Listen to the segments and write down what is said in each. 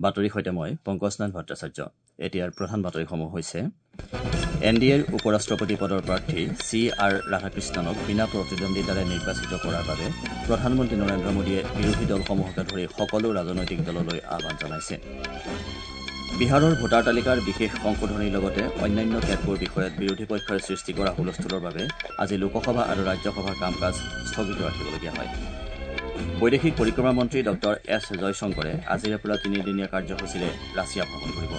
বাতৰিৰ সৈতে মই পংকজ নাথ ভট্টাচাৰ্য। এতিয়াৰ প্ৰধান বাতৰিসমূহ হৈছে: এন ডি এৰ উপ ৰাষ্ট্ৰপতি পদৰ প্ৰাৰ্থী চি আৰ ৰাধাকৃষ্ণনক বিনা প্ৰতিদ্বন্দ্বিতাৰে নিৰ্বাচিত কৰাৰ বাবে প্ৰধানমন্ত্ৰী নৰেন্দ্ৰ মোদীয়ে বিৰোধী দলসমূহকে ধৰি সকলো ৰাজনৈতিক দললৈ আহ্বান জনাইছে। বিহাৰৰ ভোটাৰ তালিকাৰ বিশেষ সংশোধনীৰ লগতে অন্যান্য কেতবোৰ বিষয়ত বিৰোধী পক্ষই সৃষ্টি কৰা হুলস্থুলৰ বাবে আজি লোকসভা আৰু ৰাজ্যসভাৰ কাম কাজ স্থগিত ৰাখিবলগীয়া হয়। বৈদেশিক পৰিক্ৰমা মন্ত্ৰী ডঃ এছ জয়শংকৰে আজিৰে পৰা তিনিদিনীয়া কাৰ্যসূচীৰে ৰাছিয়া ভ্ৰমণ কৰিব।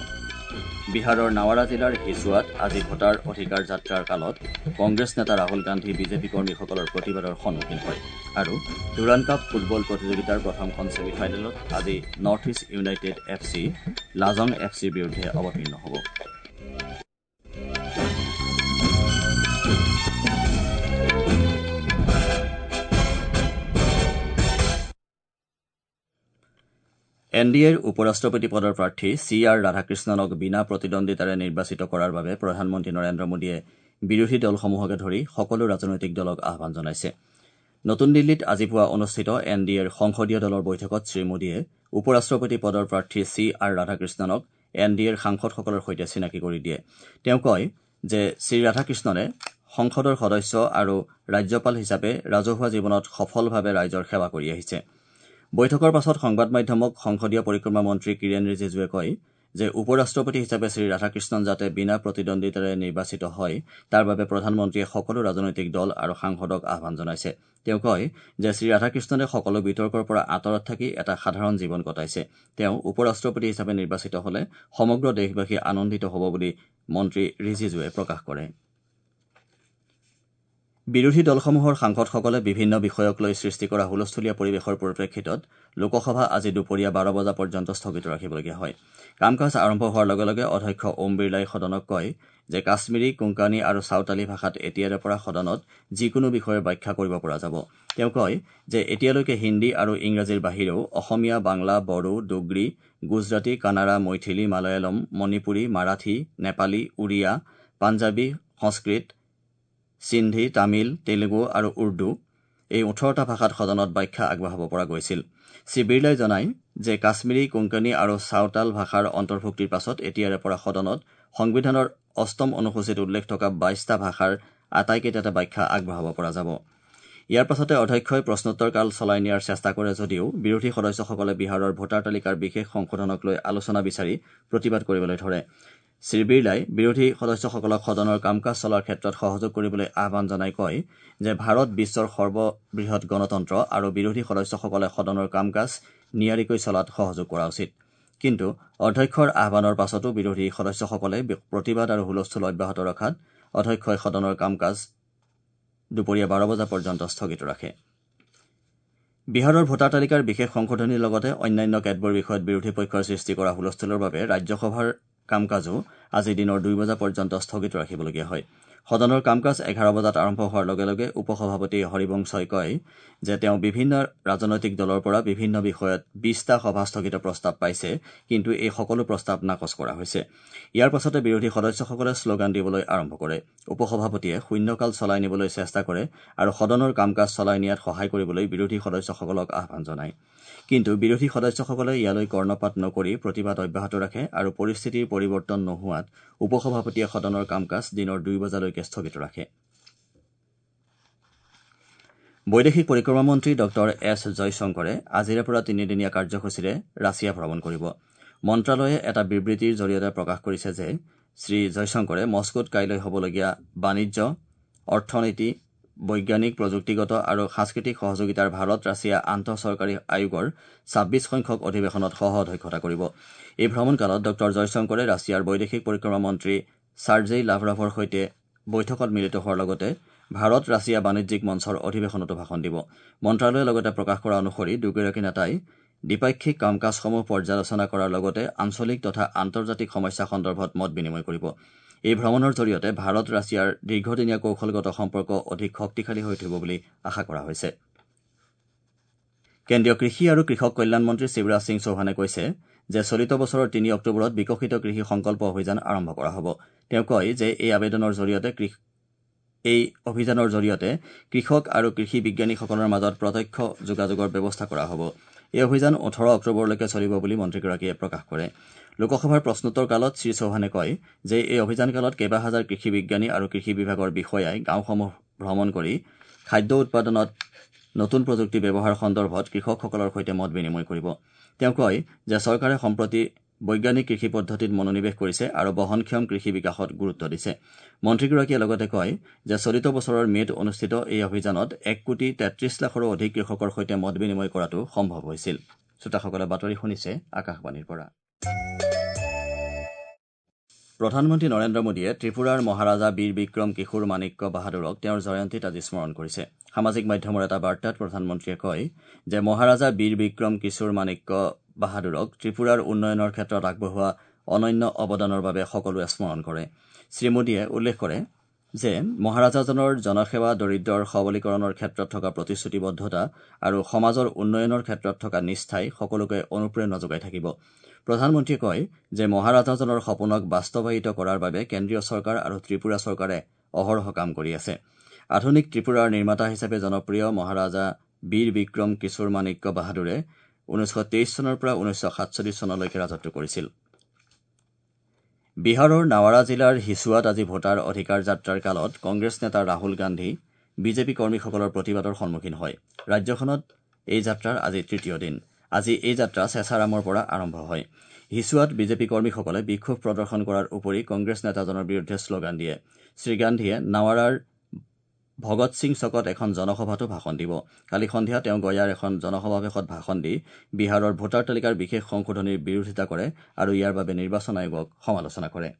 বিহাৰৰ নাৱাৰা জিলাৰ হিছুৱাত আজি ভোটাৰ অধিকাৰ যাত্ৰাৰ কালত কংগ্ৰেছ নেতা ৰাহুল গান্ধী বিজেপি কৰ্মীসকলৰ প্ৰতিবাদৰ সন্মুখীন হয়। আৰু ডুৰাণ্ড কাপ ফুটবল প্ৰতিযোগিতাৰ প্ৰথমখন ছেমি ফাইনেলত আজি North East United F C Lajong F চিৰ বিৰুদ্ধে অৱতীৰ্ণ হ'ব। এন ডি এৰ উপ ৰাষ্ট্ৰপতি পদৰ প্ৰাৰ্থী চি আৰ ৰাধাকৃষ্ণনক বিনা প্ৰতিদ্বন্দ্বিতাৰে নিৰ্বাচিত কৰাৰ বাবে প্ৰধানমন্ত্ৰী নৰেন্দ্ৰ মোদীয়ে বিৰোধী দলসমূহকে ধৰি সকলো ৰাজনৈতিক দলক আহ্বান জনাইছে। নতুন দিল্লীত আজি পুৱা অনুষ্ঠিত এন ডি এৰ সংসদীয় দলৰ বৈঠকত শ্ৰীমোদীয়ে উপ ৰাষ্ট্ৰপতি পদৰ প্ৰাৰ্থী চি আৰ ৰাধাকৃষ্ণনক এন ডি এৰ সাংসদসকলৰ সৈতে চিনাকি কৰি দিয়ে। তেওঁ কয় যে শ্ৰীৰাধাকৃষ্ণনে সংসদৰ সদস্য আৰু ৰাজ্যপাল হিচাপে ৰাজহুৱা জীৱনত সফলভাৱে ৰাইজৰ সেৱা কৰি আহিছে। বৈঠকৰ পাছত সংবাদ মাধ্যমক সংসদীয় পৰিক্ৰমা মন্ত্ৰী কিৰেণ ৰিজিজুৱে কয় যে উপ ৰাষ্ট্ৰপতি হিচাপে শ্ৰীৰাধাকৃষ্ণন যাতে বিনা প্ৰতিদ্বন্দ্বিতাৰে নিৰ্বাচিত হয় তাৰ বাবে প্ৰধানমন্ত্ৰীয়ে সকলো ৰাজনৈতিক দল আৰু সাংসদক আহ্বান জনাইছে। তেওঁ কয় যে শ্ৰীৰাধাকৃষ্ণনে সকলো বিতৰ্কৰ পৰা আঁতৰত থাকি এটা সাধাৰণ জীৱন কটাইছে। তেওঁ উপ ৰাষ্ট্ৰপতি হিচাপে নিৰ্বাচিত হলে সমগ্ৰ দেশবাসী আনন্দিত হ'ব বুলি মন্ত্ৰী ৰিজিজুৱে প্ৰকাশ কৰে। বিৰোধী দলসমূহৰ সাংসদসকলে বিভিন্ন বিষয়ক লৈ সৃষ্টি কৰা হুলস্থুলীয়া পৰিৱেশৰ পৰিপ্ৰেক্ষিতত লোকসভা আজি দুপৰীয়া ১২ বজা পৰ্যন্ত স্থগিত ৰাখিবলগীয়া হয়। কাম কাজ আৰম্ভ হোৱাৰ লগে লগে অধ্যক্ষ ওম বিৰলাই সদনক কয় যে কাশ্মীৰী, কোংকানী আৰু চাওতালী ভাষাত এতিয়াৰে পৰা সদনত যিকোনো বিষয়ৰ ব্যাখ্যা কৰিব পৰা যাব। তেওঁ কয় যে এতিয়ালৈকে হিন্দী আৰু ইংৰাজীৰ বাহিৰেও অসমীয়া, বাংলা, বড়ো, ডোগ্ৰী, গুজৰাটী, কানাড়া, মৈথিলী, মালয়ালম, মণিপুৰী, মাৰাঠী, নেপালী, উৰিয়া, পাঞ্জাৱী, সংস্কৃত, সিন্ধী, তামিল, তেলেগু আৰু উৰ্দু এই ১৮টা ভাষাত সদনত ব্যাখ্যা আগবঢ়াব পৰা গৈছিল। শ্ৰী বিৰলাই জনায় যে কাশ্মীৰী, কোংকানী আৰু চাওতাল ভাষাৰ অন্তৰ্ভুক্তিৰ পাছত এতিয়াৰে পৰা সদনত সংবিধানৰ অষ্টম অনুসূচীত উল্লেখ থকা ২২টা ভাষাৰ আটাইকেইটাতে ব্যাখ্যা আগবঢ়াব পৰা যাব। ইয়াৰ পাছতে অধ্যক্ষই প্ৰশ্নোত্তৰ কাল চলাই নিয়াৰ চেষ্টা কৰে যদিও বিৰোধী সদস্যসকলে বিহাৰৰ ভোটাৰ তালিকাৰ বিশেষ সংশোধনক লৈ আলোচনা বিচাৰি প্ৰতিবাদ কৰিবলৈ ধৰে। শ্ৰী বিৰলাই বিৰোধী সদস্যসকলক সদনৰ কাম কাজ চলাৰ ক্ষেত্ৰত সহযোগ কৰিবলৈ আহ্বান জনাই কয় যে ভাৰত বিশ্বৰ সৰ্ববৃহৎ গণতন্ত্ৰ আৰু বিৰোধী সদস্যসকলে সদনৰ কাম কাজ নিয়াৰিকৈ চলাত সহযোগ কৰা উচিত। কিন্তু অধ্যক্ষৰ আহ্বানৰ পাছতো বিৰোধী সদস্যসকলে প্ৰতিবাদ আৰু হুলস্থুল অব্যাহত ৰখাত অধ্যক্ষই সদনৰ কাম কাজ দুপৰীয়া ১২ বজা পৰ্যন্ত স্থগিত ৰাখে। বিহাৰৰ ভোটাৰ তালিকাৰ বিশেষ সংশোধনীৰ লগতে অন্যান্য কেতবোৰ বিষয়ত বিৰোধী পক্ষই সৃষ্টি কৰা হুলস্থুলৰ বাবে ৰাজ্যসভাৰ কাম কাজো আজি দিনৰ ২ বজা পৰ্যন্ত স্থগিত ৰাখিবলগীয়া হয়। সদনৰ কাম কাজ ১১ বজাত আৰম্ভ হোৱাৰ লগে লগে উপ সভাপতি হৰিবংশই কয় যে তেওঁ বিভিন্ন ৰাজনৈতিক দলৰ পৰা বিভিন্ন বিষয়ত ২০টা সভা স্থগিত প্ৰস্তাৱ পাইছে, কিন্তু এই সকলো প্ৰস্তাৱ নাকচ কৰা হৈছে। ইয়াৰ পাছতে বিৰোধী সদস্যসকলে শ্লোগান দিবলৈ আৰম্ভ কৰে। উপ সভাপতিয়ে শূন্যকাল চলাই নিবলৈ চেষ্টা কৰে আৰু সদনৰ কাম কাজ চলাই নিয়াত সহায় কৰিবলৈ বিৰোধী সদস্যসকলক আহ্বান জনায়। কিন্তু বিৰোধী সদস্যসকলে ইয়ালৈ কৰ্ণপাত নকৰি প্ৰতিবাদ অব্যাহত ৰাখে আৰু পৰিস্থিতিৰ পৰিৱৰ্তন নোহোৱাত উপ সভাপতিয়ে সদনৰ কাম কাজ দিনৰ ২ বজালৈকে স্থগিত ৰাখে। বৈদেশিক পৰিক্ৰমা মন্ত্ৰী ডঃ এছ জয়শংকৰে আজিৰে পৰা তিনিদিনীয়া কাৰ্যসূচীৰে ৰাছিয়া ভ্ৰমণ কৰিব। মন্ত্ৰালয়ে এটা বিবৃতিৰ জৰিয়তে প্ৰকাশ কৰিছে যে শ্ৰীজয়শংকৰে মস্কোত কাইলৈ হ'বলগীয়া বাণিজ্য, অৰ্থনীতি, বৈজ্ঞানিক, প্ৰযুক্তিগত আৰু সাংস্কৃতিক সহযোগিতাৰ ভাৰত ৰাছিয়া আন্তঃচৰকাৰী আয়োগৰ ২৬ সংখ্যক অধিৱেশনত সহ অধ্যক্ষতা কৰিব। এই ভ্ৰমণকালত ডঃ জয়শংকৰে ৰাছিয়াৰ বৈদেশিক পৰিক্ৰমা মন্ত্ৰী চাৰ্জেই লাভৰভৰ সৈতে বৈঠকত মিলিত হোৱাৰ লগতে ভাৰত ৰাছিয়া বাণিজ্যিক মঞ্চৰ অধিৱেশনতো ভাষণ দিব। মন্ত্ৰালয়ে লগতে প্ৰকাশ কৰা অনুসৰি দুয়োগৰাকী নেতাই দ্বিপাক্ষিক কাম কাজসমূহ পৰ্যালোচনা কৰাৰ লগতে আঞ্চলিক তথা আন্তৰ্জাতিক সমস্যা সন্দৰ্ভত মত বিনিময় কৰিব। এই ভ্ৰমণৰ জৰিয়তে ভাৰত ৰাছিয়াৰ দীৰ্ঘদিনীয়া কৌশলগত সম্পৰ্ক অধিক শক্তিশালী হৈ উঠিব বুলি আশা কৰা হৈছে। কেন্দ্ৰীয় কৃষি আৰু কৃষক কল্যাণ মন্ত্ৰী শিৱৰাজ সিং চৌহানে কৈছে যে চলিত বছৰৰ ৩ অক্টোবৰত বিকশিত কৃষি সংকল্প অভিযান আৰম্ভ কৰা হ'ব। তেওঁ কয় যে এই অভিযানৰ জৰিয়তে কৃষক আৰু কৃষি বিজ্ঞানীসকলৰ মাজত প্ৰত্যক্ষ যোগাযোগৰ ব্যৱস্থা কৰা হ'ব। এই অভিযান ১৮ অক্টোবৰলৈকে চলিব বুলি মন্ত্ৰীগৰাকীয়ে প্ৰকাশ কৰে। লোকসভাৰ প্ৰশ্নোত্তৰ কালত শ্ৰীচৌহানে কয় যে এই অভিযানকালত কেইবাহাজাৰ কৃষি বিজ্ঞানী আৰু কৃষি বিভাগৰ বিষয়াই গাঁওসমূহ ভ্ৰমণ কৰি খাদ্য উৎপাদনত নতুন প্ৰযুক্তি ব্যৱহাৰ সন্দৰ্ভত কৃষকসকলৰ সৈতে মত বিনিময় কৰিব। তেওঁ কয় যে চৰকাৰে সম্প্ৰতি বৈজ্ঞানিক কৃষি পদ্ধতিত মনোনিৱেশ কৰিছে আৰু বহনক্ষম কৃষি বিকাশত গুৰুত্ব দিছে। মন্ত্ৰীগৰাকীয়ে লগতে কয় যে চলিত বছৰৰ মে'ত অনুষ্ঠিত এই অভিযানত ১ কোটি ৩৩ লাখৰো অধিক কৃষকৰ সৈতে মত বিনিময় কৰাটো সম্ভৱ হৈছিল। শ্ৰোতাসকলে বাতৰি শুনিছে আকাশবাণীৰ পৰা। প্ৰধানমন্ত্ৰী নৰেন্দ্ৰ মোদীয়ে ত্ৰিপুৰাৰ মহাৰাজা বীৰ বিক্ৰম কিশোৰ মাণিক্য বাহাদুৰক তেওঁৰ জয়ন্তীত আজি স্মৰণ কৰিছে। সামাজিক মাধ্যমৰ এটা বাৰ্তাত প্ৰধানমন্ত্ৰীয়ে কয় যে মহাৰাজা বীৰ বিক্ৰম কিশোৰ মাণিক্য বাহাদুৰক ত্ৰিপুৰাৰ উন্নয়নৰ ক্ষেত্ৰত আগবঢ়োৱা অনন্য অৱদানৰ বাবে সকলোৱে স্মৰণ কৰে। শ্ৰীমোদীয়ে উল্লেখ কৰে যে মহাৰাজাজনৰ জনসেৱা, দৰিদ্ৰৰ সবলীকৰণৰ ক্ষেত্ৰত থকা প্ৰতিশ্ৰুতিবদ্ধতা আৰু সমাজৰ উন্নয়নৰ ক্ষেত্ৰত থকা নিষ্ঠাই সকলোকে অনুপ্ৰেৰণা যোগাই থাকিব। প্ৰধানমন্ত্ৰীয়ে কয় যে মহাৰাজাজনৰ সপোনক বাস্তৱায়িত কৰাৰ বাবে কেন্দ্ৰীয় চৰকাৰ আৰু ত্ৰিপুৰা চৰকাৰে অহৰহ কাম কৰি আছে। আধুনিক ত্ৰিপুৰাৰ নিৰ্মাতা হিচাপে জনপ্ৰিয় মহাৰাজা বীৰ বিক্ৰম কিশোৰ মাণিক্য বাহাদুৰে ১৯২৩ চনৰ পৰা ১৯৪৭ চনলৈকে ৰাজত্ব কৰিছিল। বিহাৰৰ নাৱাৰা জিলাৰ হিচুৱাত আজি ভোটাৰ অধিকাৰ যাত্ৰাৰ কালত কংগ্ৰেছ নেতা ৰাহুল গান্ধী বিজেপি কৰ্মীসকলৰ প্ৰতিবাদৰ সন্মুখীন হয়। ৰাজ্যখনত এই যাত্ৰাৰ আজি তৃতীয় দিন। আজি এই যাত্ৰা চেচাৰামৰ পৰা আৰম্ভ হয়। হিচুৱাত বিজেপি কৰ্মীসকলে বিক্ষোভ প্ৰদৰ্শন কৰাৰ উপৰি কংগ্ৰেছ নেতাজনৰ বিৰুদ্ধে শ্লোগান দিয়ে। শ্ৰীগান্ধীয়ে নাৱাৰাৰ ভগত সিং চকত এখন জনসভাতো ভাষণ দিব। কালি সন্ধিয়া তেওঁ গয়াৰ এখন জনসমাৱেশত ভাষণ দি বিহাৰৰ ভোটাৰ তালিকাৰ বিশেষ সংশোধনীৰ বিৰোধিতা কৰে আৰু ইয়াৰ বাবে নিৰ্বাচন আয়োগক সমালোচনা কৰে।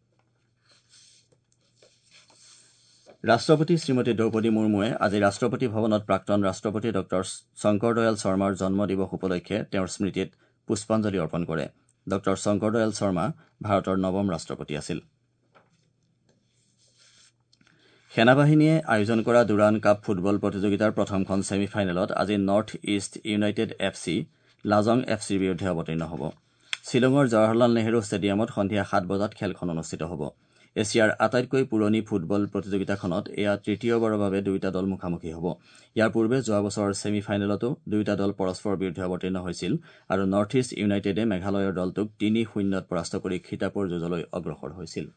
ৰাষ্ট্ৰপতি শ্ৰীমতী দ্ৰৌপদী মুৰ্মুৱে আজি ৰাষ্ট্ৰপতি ভৱনত প্ৰাক্তন ৰাষ্ট্ৰপতি ডঃ শংকৰ দয়াল শৰ্মাৰ জন্ম দিৱস উপলক্ষে তেওঁৰ স্মৃতিত পুষ্পাঞ্জলি অৰ্পণ কৰে। ডঃ শংকৰ দয়াল শৰ্মা ভাৰতৰ নৱম ৰাষ্ট্ৰপতি আছিল। সেনাবাহিনীয়ে আয়োজন কৰা ডুৰাণ কাপ ফুটবল প্ৰতিযোগিতাৰ প্ৰথমখন ছেমি ফাইনেলত আজি North East United F C Lajong F চিৰ বিৰুদ্ধে অৱতীৰ্ণ হ'ব। শ্বিলঙৰ জৱাহৰলাল নেহৰু ষ্টেডিয়ামত সন্ধিয়া ৭ বজাত খেলখন অনুষ্ঠিত হ'ব। এছিয়াৰ আটাইতকৈ পুৰণি ফুটবল প্ৰতিযোগিতাখনত এয়া তৃতীয়বাৰৰ বাবে দুয়োটা দল মুখামুখি হ'ব। ইয়াৰ পূৰ্বে যোৱা বছৰৰ ছেমি ফাইনেলতো দুয়োটা দল পৰস্পৰৰ বিৰুদ্ধে অৱতীৰ্ণ হৈছিল আৰু নৰ্থ ইষ্ট ইউনাইটেডে মেঘালয়ৰ দলটোক ৩-০ত পৰাস্ত কৰি খিতাপৰ যুঁজলৈ অগ্ৰসৰ হৈছিল।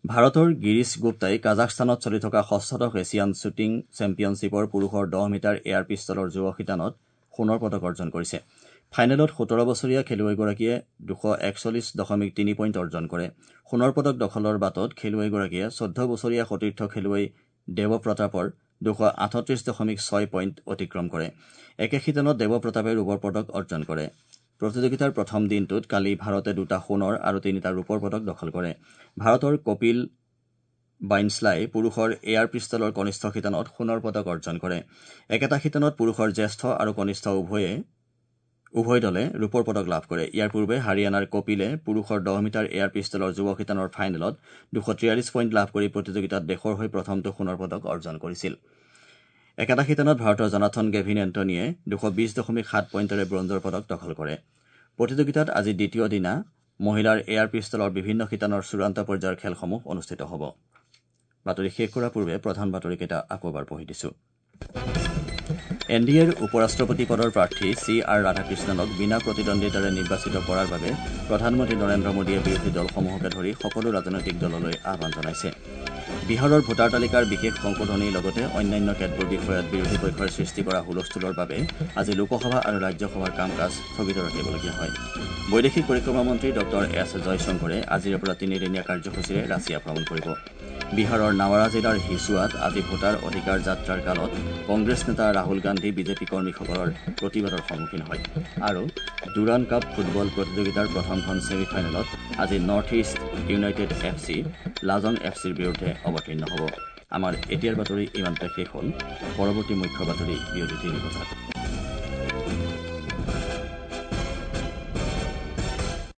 ভাৰতৰ গিৰীশ গুপ্তাই কাজাখস্তানত চলি থকা ষষ্ঠদশ এছিয়ান শ্বুটিং চেম্পিয়নশ্বিপৰ পুৰুষৰ ১০ মিটাৰ এয়াৰ পিষ্টলৰ যুৱ শিতানত সোণৰ পদক অৰ্জন কৰিছে। ফাইনেলত ১৭ বছৰীয়া খেলুৱৈগৰাকীয়ে ২৪১.৩ পইণ্ট অৰ্জন কৰে। সোণৰ পদক দখলৰ বাটত খেলুৱৈগৰাকীয়ে ১৪ বছৰীয়া সতীৰ্থ খেলুৱৈ দেৱপ্ৰতাপৰ ২৩৮.৬ পইণ্ট অতিক্ৰম কৰে। একে শিতানত দেৱপ্ৰতাপে ৰূপৰ পদক অৰ্জন কৰে। প্ৰতিযোগিতাৰ প্ৰথম দিনটোত কালি ভাৰতে ২টা সোণৰ আৰু ৩টা ৰূপৰ পদক দখল কৰে। ভাৰতৰ কপিল বাইনছলাই পুৰুষৰ এয়াৰ পিষ্টলৰ কনিষ্ঠ শিতানত সোণৰ পদক অৰ্জন কৰে। একেটা শিতানত পুৰুষৰ জ্যেষ্ঠ আৰু কনিষ্ঠ উভয় দলে ৰূপৰ পদক লাভ কৰে। ইয়াৰ পূৰ্বে হাৰিয়ানাৰ কপিলে পুৰুষৰ ১০ মিটাৰ এয়াৰ পিষ্টলৰ যুৱ শিতানৰ ফাইনেলত ২৪৩ পইণ্ট লাভ কৰি প্ৰতিযোগিতাত দেশৰ হৈ প্ৰথমটো সোণৰ পদক অৰ্জন কৰিছিল। একেটা শিতানত ভাৰতৰ জনাথন গেভিন এণ্টনীয়ে ২২০.৭ পইণ্টেৰে ব্ৰঞ্জৰ পদক দখল কৰে। প্ৰতিযোগিতাত আজি দ্বিতীয় দিনা মহিলাৰ এয়াৰ পিষ্টলৰ বিভিন্ন শিতানৰ চূড়ান্ত পৰ্যায়ৰ খেলসমূহ অনুষ্ঠিত হ'ব। বাতৰি শেষ কৰাৰ পূৰ্বে প্ৰধান বাতৰিকেইটা আকৌ এবাৰ পঢ়ি দিছো। এন ডি এৰ উপ ৰাষ্ট্ৰপতি পদৰ প্ৰাৰ্থী চি আৰ ৰাধাকৃষ্ণনক বিনা প্ৰতিদ্বন্দ্বিতাৰে নিৰ্বাচিত কৰাৰ বাবে প্ৰধানমন্ত্ৰী নৰেন্দ্ৰ মোদীয়ে বিৰোধী দলসমূহকে ধৰি সকলো ৰাজনৈতিক দললৈ আহ্বান জনাইছে। বিহাৰৰ ভোটাৰ তালিকাৰ বিশেষ সংশোধনীৰ লগতে অন্যান্য কেতবোৰ বিষয়ত বিৰোধী পক্ষই সৃষ্টি কৰা হুলস্থুলৰ বাবে আজি লোকসভা আৰু ৰাজ্যসভাৰ কাম কাজ স্থগিত ৰাখিবলগীয়া হয়। বৈদেশিক পৰিক্ৰমা মন্ত্ৰী ডঃ এছ জয়শংকৰে আজিৰে পৰা তিনিদিনীয়া কাৰ্যসূচীৰে ৰাছিয়া ভ্ৰমণ কৰিব। বিহাৰৰ নাৱাৰা জিলাৰ হিচুৱাত আজি ভোটাৰ অধিকাৰ যাত্ৰাৰ কালত কংগ্ৰেছ নেতা ৰাহুল গান্ধী বিজেপি কৰ্মীসকলৰ প্ৰতিবাদৰ সন্মুখীন হয়। আৰু ডুৰাণ কাপ ফুটবল প্ৰতিযোগিতাৰ প্ৰথমখন ছেমি ফাইনেলত আজি North East United F C Lajong F চিৰ বিৰুদ্ধে অৱতীৰ্ণ হ'ব। আমাৰ এতিয়াৰ বাতৰি ইমানতে শেষ হ'ল। পৰৱৰ্তী মুখ্য বাতৰি বিয়লি ৩ বজাত।